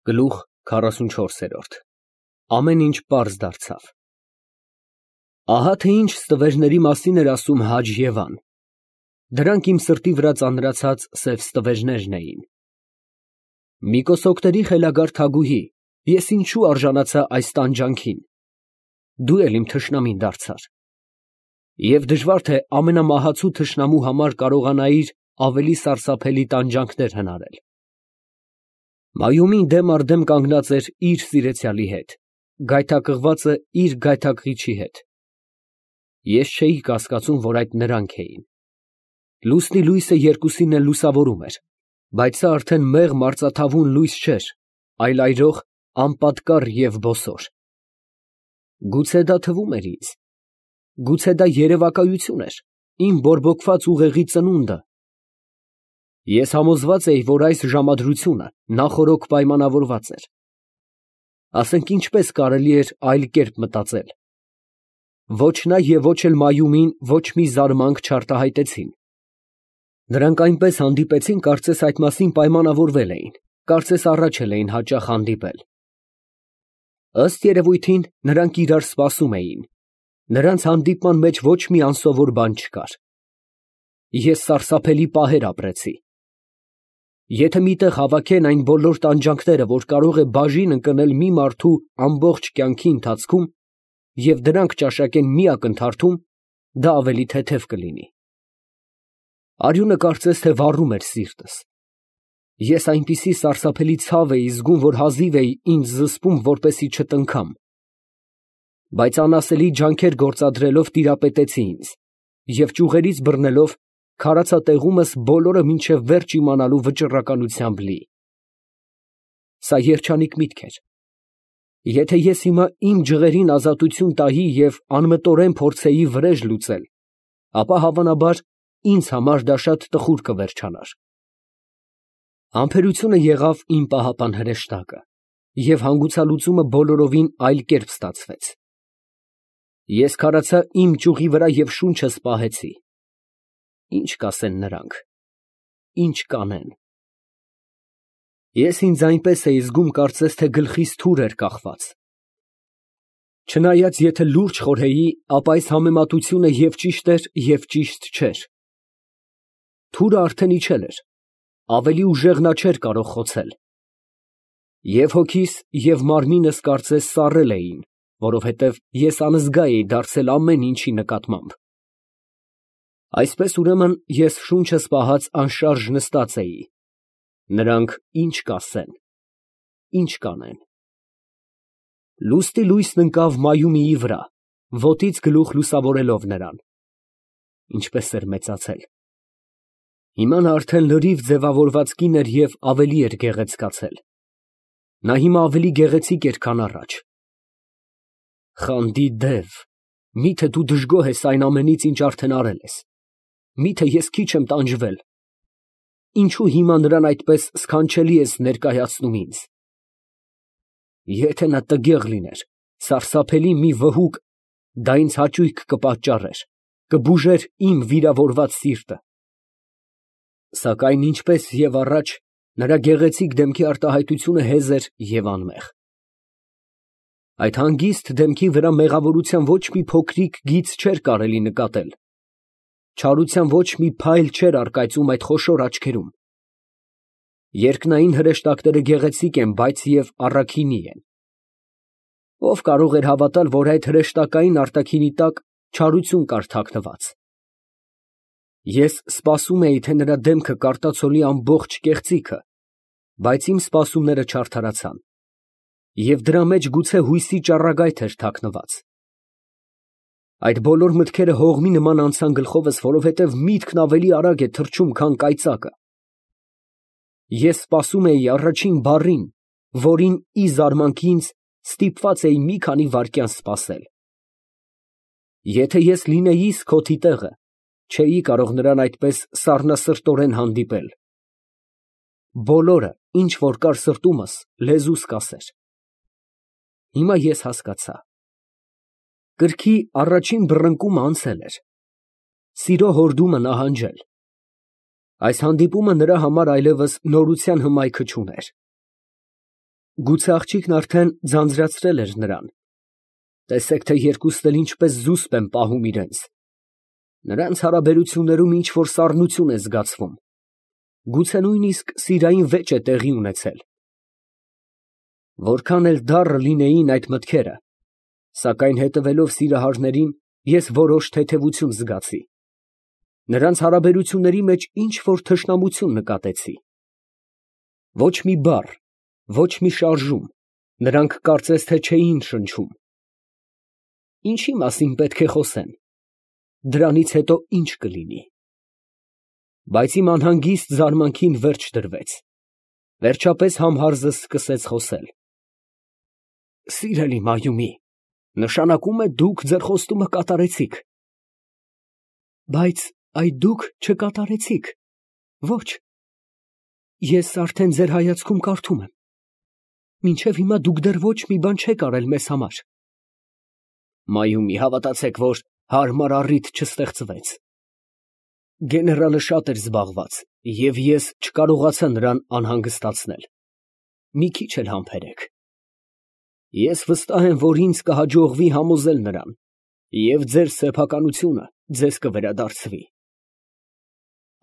Գլուխ 44 Ամեն ինչ պարզ դարձավ։ Ահա թե ինչ ստվերների մասին էր ասում Հաջ֊Եվան։ Դրանք իմ սրտի վրա ծանրացած սև ստվերներն էին։ Մի կոսոկտերի խելագար թագուհի, ես ինչու արժանացա այս տանջանքին։ Դու էլ իմ թշնամին դարձար։ Եվ դժվար թե ամենամահացու թշնամու համար կարողանայիր ավելի սարսափելի տանջանքներ հնարել։ Մայումին դեմ առ դեմ կանգնած էր իր սիրեցյալի հետ, գայթակղվածը իր գայթակղիչի հետ։ Ես չէի կասկածում, որ այդ նրանք էին։ Լուսնի լույսը երկուսին էլ լուսավորում էր, բայց սա արդեն մեղմ արծաթավուն լույս չէր, այլ այրող, անպատկառ և բոսոր։ Գուցե դա թվում էր ինձ, գուցե դա երևակայություն էր, իմ բորբոքված ուղեղի ծնունդը։ Ես համոզված էի, որ այս ժամադրությունը նախօրոք պայմանավորված էր։ Ասենք ինչպես կարելի էր այլ կերպ մտածել։ Ոչ նա և ոչ էլ Մայումին ոչ մի զարմանք չարտահայտեցին։ Նրանք այնպես հանդիպեցին, կարծես այդ մասին պայմանավորվել էին, կարծես առաջ էլ էին հաճախ հանդիպել։ Ըստ երևույթին, նրանք իրար սպասում էին։ Նրանց հանդիպման մեջ ոչ մի անսովոր բան չկար։ Ես սարսափելի պահեր ապրեցի։ Եթե միտեղ հավաքեն այն բոլոր տանջանքները, որ կարող է բաժին ընկնել մի մարդու ամբողջ կյանքի ընթացքում, և դրանք ճաշակեն մի ակնթարթում, դա ավելի թեթև կլինի։ Արյունը կարծես թե վառում էր սիրտս։ Ես այնպիսի սարսափելի ցավ էի զգում, որ հազիվ էի ինձ զսպում, որպեսզի չտնքամ։ Բայց անասելի ջանքեր գործադրելով տիրապետեցի ինձ, և ճյուղերից բռնելով քարացա տեղումս բոլորը մինչև վերջ իմանալու վճռականությամբ լի։ Սա երջանիկ միտք էր։ Եթե ես հիմա իմ ջղերին ազատություն տայի և անմտորեն փորձեի վրեժ լուծել, ապա հավանաբար ինձ համար դա շատ տխուր կվերջանար։ Համբերությունը եղավ իմ պահապան հրեշտակը, և հանգուցալուծումը բոլորովին այլ կերպ ստացվեց։ Ես քարացա իմ ճյուղի վրա և շունչս պահեցի։ Ի՞նչ կասեն նրանք, ի՞նչ կանեն։ Ես ինձ այնպես էի զգում, կարծես թե գլխիս թուր էր կախված։ Չնայած եթե լուրջ խորհեի, ապա այս համեմատությունը և ճիշտ էր, և ճիշտ չէր։ Թուրը արդեն իջել էր, ավելի ուժեղ նա չէր կարող խոցել։ Եվ հոգիս, և մարմինս կարծես սառել էին, որովհետև ես անզգա էի դարձել ամեն ինչի նկատմամբ։ Այսպես ուրեմն ես շունչս պահած անշարժ նստած էի։ Նրանք ի՞նչ կասեն, ի՞նչ կանեն։ Լուսնի լույսն ընկավ Մայումիի վրա, ոտից գլուխ լուսավորելով նրան։ Ինչպես էր մեծացել։ Հիմա նա արդեն լրիվ ձևավորված կին էր և ավելի էր գեղեցկացել։ Նա հիմա ավելի գեղեցիկ էր, քան առաջ։ Խանդի դև, միթե դու դժգոհ ես այն ամենից, ինչ արդեն արել ես։ Միթե ես քիչ եմ տանջվել։ Ինչո՞ւ հիմա նրան այդպես սքանչելի ես ներկայացնում ինձ։ Եթե նա տգեղ լիներ, սարսափելի մի վհուկ, դա ինձ հաճույք կպատճառեր, կբուժեր իմ վիրավորված սիրտը։ Սակայն ինչպես և առաջ, նրա գեղեցիկ դեմքի արտահայտությունը հեզ էր և անմեղ։ Այդ հանգիստ դեմքի վրա մեղավորության ոչ մի փոքրիկ գիծ չէր կարելի նկատել։ Չարության ոչ մի փայլ չէր առկայծում այդ խոշոր աչքերում։ Երկնային հրեշտակները գեղեցիկ են, բայց և առաքինի են։ Ո՞վ կարող էր հավատալ, որ այդ հրեշտակային արտաքինի տակ չարություն կար թաքնված։ Ես սպասում էի, թե նրա դեմքը կարտացոլի ամբողջ կեղծիքը, բայց իմ սպասումները չարդարացան, և դրա մեջ գուցե հույսի ճառագայթ էր թաքնված։ Այդ բոլոր մտքերը հողմի նման անցան գլխովս, որովհետև միտքն ավելի արագ է թռչում, քան կայծակը։ Ես սպասում էի առաջին բառին, որին ի զարմանք ինձ ստիպված էի մի քանի վայրկյան սպասել։ Եթե ես լինեիս քոթի տեղը, չէի կարող նրան այդպես սառնասրտորեն հանդիպել։ Բոլորը, ինչ որ կար սրտումս, լեզուս կասեր։ Հիմա ես հասկացա։ Կրքի առաջին բռնկումը անցել էր։ Սիրո հորդումը նահանջել։ Այս հանդիպումը նրա համար այլևս նորության հմայքը չուներ։ Գուցե աղջիկն արդեն ձանձրացրել էր նրան։ Տեսեք, թե երկուսն էլ ինչպես զուսպ են պահում իրենց։ Նրանց հարաբերություններում ինչ֊որ սառնություն է զգացվում։ Գուցե նույնիսկ սիրային վեճ է տեղի ունեցել։ Որքան էլ դառը լինեին այդ մտքերը, սակայն հետևելով սիրահարներին, ես որոշ թեթևություն զգացի։ Նրանց հարաբերությունների մեջ ինչ֊որ թշնամություն նկատեցի։ Ոչ մի բառ, ոչ մի շարժում, նրանք կարծես թե չէին շնչում։ Ինչի մասին պետք է խոսեն, դրանից հետո ինչ կլինի։ Բայց իմ անհանգիստ զարմանքին վերջ դրվեց։ Վերջապես համհարզս սկսեց խոսել։ Սիրելի Մայրամի, նշանակում է դուք ձեր խոստումը կատարեցիք։ Բայց այդ դուք չկատարեցիք։ Ոչ։ Ես արդեն ձեր հայացքում կարդում եմ։ Մինչև հիմա դուք դեռ ոչ մի բան չեք արել մեզ համար։ Մայրամի, հավատացեք, որ հարմար առիթ չստեղծվեց։ Գեներալը շատ էր զբաղված, և ես չկարողացա նրան անհանգստացնել։ Մի քիչ էլ համբերեք։ Ես վստահ եմ, որ ինձ կհաջողվի համոզել նրան, և ձեր սեփականությունը ձեզ կվերադարձվի։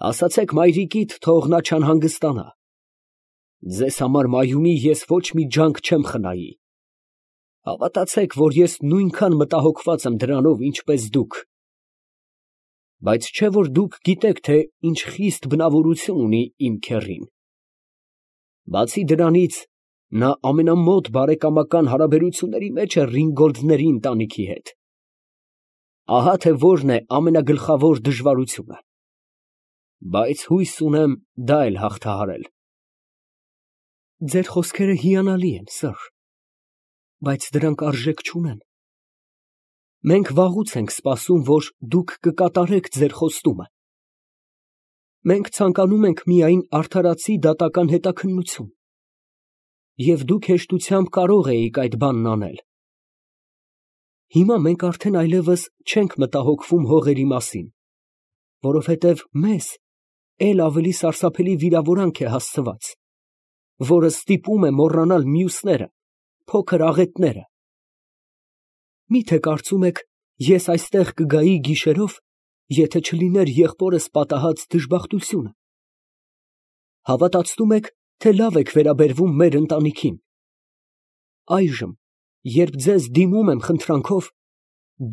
Ասացեք մայրիկիդ, թող նա չանհանգստանա։ Ձեզ համար, Մայրամի, ես ոչ մի ջանք չեմ խնայի։ Հավատացեք, որ ես նույնքան մտահոգված եմ դրանով, ինչպես դուք։ Բայց չէ՞ որ դուք գիտեք, թե ինչ խիստ բնավորություն ունի իմ քեռին։ Բացի դրանից, նա ամենամոտ բարեկամական հարաբերությունների մեջ է Ռինգոլդների ընտանիքի հետ։ Ահա թե որն է ամենագլխավոր դժվարությունը։ Բայց հույս ունեմ դա էլ հաղթահարել։ Ձեր խոսքերը հիանալի են, սըր, բայց դրանք արժեք չունեն։ Մենք վաղուց ենք սպասում, որ դուք կկատարեք ձեր խոստումը։ Մենք ցանկանում ենք միայն արդարացի դատական հետաքննություն, և դուք հեշտությամբ կարող էիք այդ բանն անել։ Հիմա մենք արդեն այլևս չենք մտահոգվում հողերի մասին, որովհետև մեզ էլ ավելի սարսափելի վիրավորանք է հասցված, որը ստիպում է մոռանալ մյուսները, փոքր աղետները։ Մի՞թե կարծում եք, ես այստեղ կգայի գիշերով, եթե չլիներ եղբորս պատահած դժբախտությունը։ Հավատացնում եք, թե լավ եք վերաբերվում մեր ընտանիքին։ Այժմ, երբ ձեզ դիմում եմ խնդրանքով,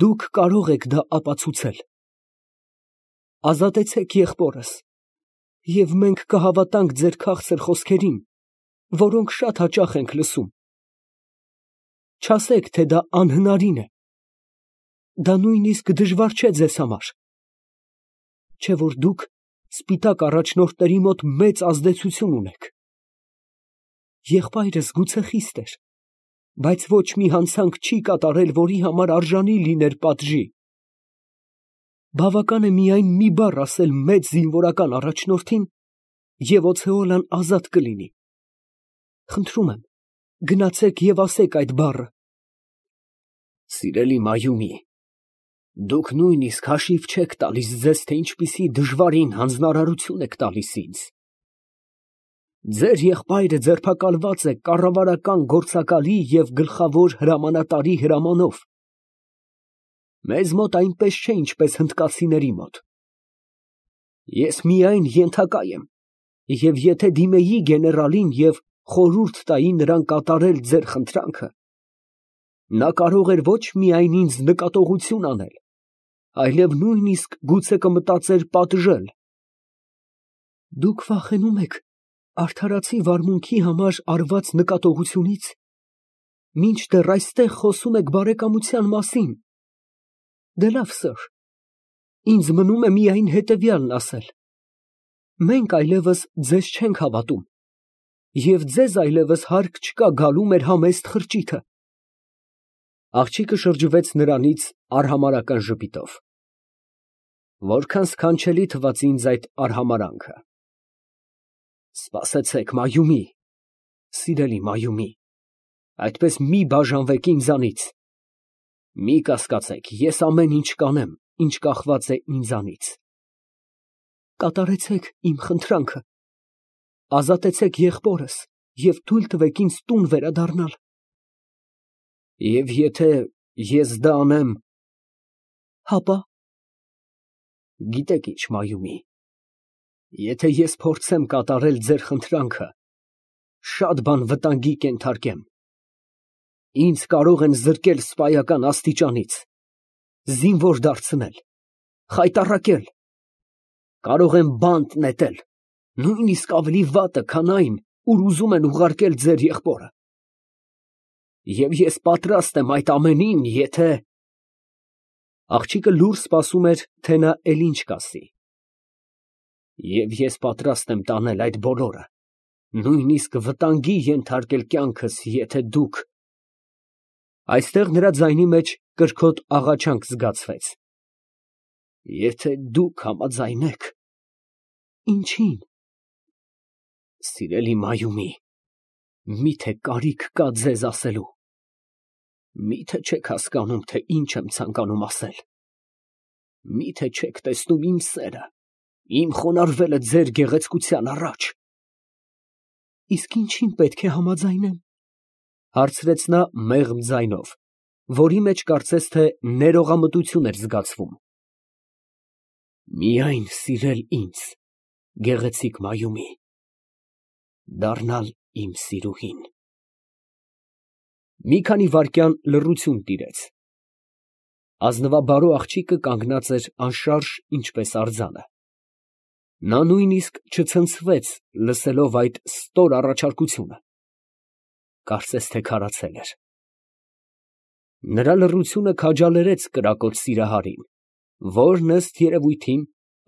դուք կարող եք դա ապացուցել։ Ազատեցեք եղբորս, և մենք կհավատանք ձեր քաղցր խոսքերին, որոնք շատ հաճախ ենք լսում։ Չասեք, թե դա անհնարին է։ Դա նույնիսկ դժվար չէ ձեզ համար։ Չէ՞ որ դուք սպիտակ առաջնորդների մոտ մեծ ազդեցություն ունեք։ Եղբայրս գուցե խիստ էր, բայց ոչ մի հանցանք չի կատարել, որի համար արժանի լիներ պատժի։ Բավական է միայն մի բառ ասել մեծ զինվորական առաջնորդին, և օցեոլան ազատ կլինի։ Խնդրում եմ, գնացեք և ասեք այդ բառը։ Սիրելի Մայրամի, դուք նույնիսկ հաշիվ չեք տալիս ձեզ, թե ինչպիսի դժվարին հանձնարարություն եք տալիս ինձ։ Ձեր եղբայրը ձերբակալված է կառավարական գործակալի և գլխավոր հրամանատարի հրամանով։ Մեզ մոտ այնպես չէ, ինչպես հնդկացիների մոտ։ Ես միայն ենթակա եմ, և եթե դիմեի գեներալին և խորհուրդ տայի նրան կատարել ձեր խնդրանքը, նա կարող էր ոչ միայն ինձ նկատողություն անել, այլև նույնիսկ գուցե կմտածեր պատժել։ Դուք վախենում եք արդարացի վարմունքի համար արված նկատողությունից, մինչդեռ այստեղ խոսում եք բարեկամության մասին։ Դե լավ, սըր, ինձ մնում է միայն հետևյալն ասել. մենք այլևս ձեզ չենք հավատում, և ձեզ այլևս հարկ չկա գալու մեր համեստ խրճիթը։ Աղջիկը շրջվեց նրանից արհամարհական ժպիտով։ Որքան սքանչելի թվաց ինձ այդ արհամարհանքը։ Սպասեցեք, Մայրամի, սիրելի Մայրամի, այդպես մի բաժանվեք ինձանից։ Մի կասկածեք, ես ամեն ինչ կանեմ, ինչ կախված է ինձանից։ Կատարեցեք իմ խնդրանքը, ազատեցեք եղբորս, և թույլ տվեք ինձ տուն վերադառնալ։ Եվ եթե ես դա անեմ, հապա։ Գիտեք ինչ, Մայրամի, եթե ես փորձեմ կատարել ձեր խնդրանքը, շատ բան վտանգի կենթարկեմ։ Ինձ կարող են զրկել սպայական աստիճանից, զինվոր դարձնել, խայտառակել, կարող են բանտ նետել, նույնիսկ ավելի վատը, քան այն, ուր ուզում են ուղարկել ձեր եղբորը։ Եվ ես պատրաստ եմ այդ ամենին, եթե… Աղջիկը լուռ սպասում էր, թե նա էլ ինչ կասի։ Եվ ես պատրաստ եմ տանել այդ բոլորը, նույնիսկ վտանգի ենթարկել կյանքս, եթե դուք… Այստեղ նրա ձայնի մեջ կրքոտ աղաչանք զգացվեց։ Եթե դուք համաձայնեք… Ինչի՞ն։ Սիրելի Մայրամի, միթե կարիք կա ձեզ ասելու։ Միթե չեք հասկանում, թե ինչ եմ ցանկանում ասել։ Միթե չեք տեսնում իմ սերը, իմ խոնարհվելը ձեր գեղեցկության առաջ։ Իսկ ինչին պետք է համաձայնեմ, հարցրեց նա մեղմ ձայնով, որի մեջ կարծես թե ներողամտություն էր զգացվում։ Միայն սիրել ինձ, գեղեցիկ Մայրամի, դառնալ իմ սիրուհին։ Մի քանի վայրկյան լռություն տիրեց։ Ազնվաբարո աղջիկը կանգնած էր անշարժ, ինչպես արձանը։ Նա նույնիսկ չցնցվեց, լսելով այդ ստոր առաջարկությունը։ Կարծես թե քարացել էր։ Նրա լռությունը քաջալերեց կրակոտ սիրահարին, որն ըստ երևույթին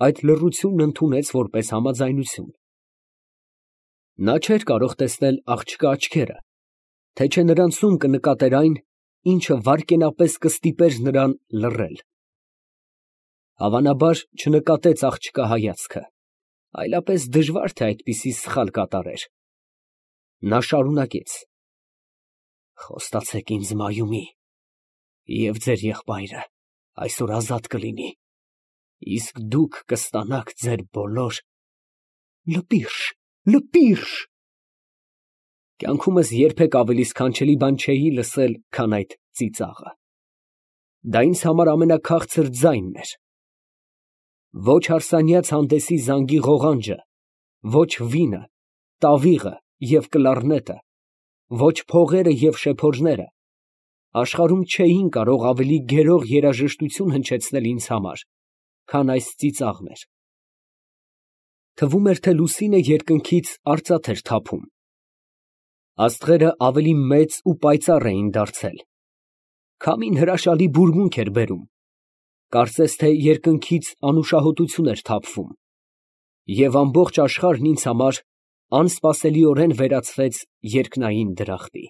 այդ լռությունն ընդունեց որպես համաձայնություն։ Նա չէր կարող տեսնել աղջկա աչքերը, թե չէ նրանցում կնկատեր այն, ինչը վայրկենապես կստիպեր նրան լռել։ Հավանաբար չնկատեց աղջկա հայացքը, այլապես դժվար թե այդպիսի սխալ կատարեր։ Նա շարունակեց. Խոստացեք ինձ, Մայրամի, և ձեր եղբայրը այսօր ազատ կլինի, իսկ դուք կստանաք ձեր բոլոր… Լպիրշ, լպիրշ… Կյանքումս երբեք ավելի սքանչելի բան չէի լսել, քան այդ ծիծաղը։ Դա ինձ համար ամենաքաղցր ձայնն էր։ Ոչ հարսանյաց հանդեսի զանգի ղողանջը, ոչ վինը, տավիղը և կլարնետը, ոչ փողերը և շեփորները աշխարհում չէին կարող ավելի գերող երաժշտություն հնչեցնել ինձ համար, քան այս ծիծաղն էր։ Թվում էր, թե լուսինը երկնքից արծաթ էր թափում։ Աստղերը ավելի մեծ ու պայծառ էին դարձել։ Քամին հրաշալի բուրմունք էր բերում, կարծես թե երկնքից անուշահոտություն էր թափվում, և ամբողջ աշխարհն ինձ համար անսպասելիորեն վերածվեց երկնային դրախտի։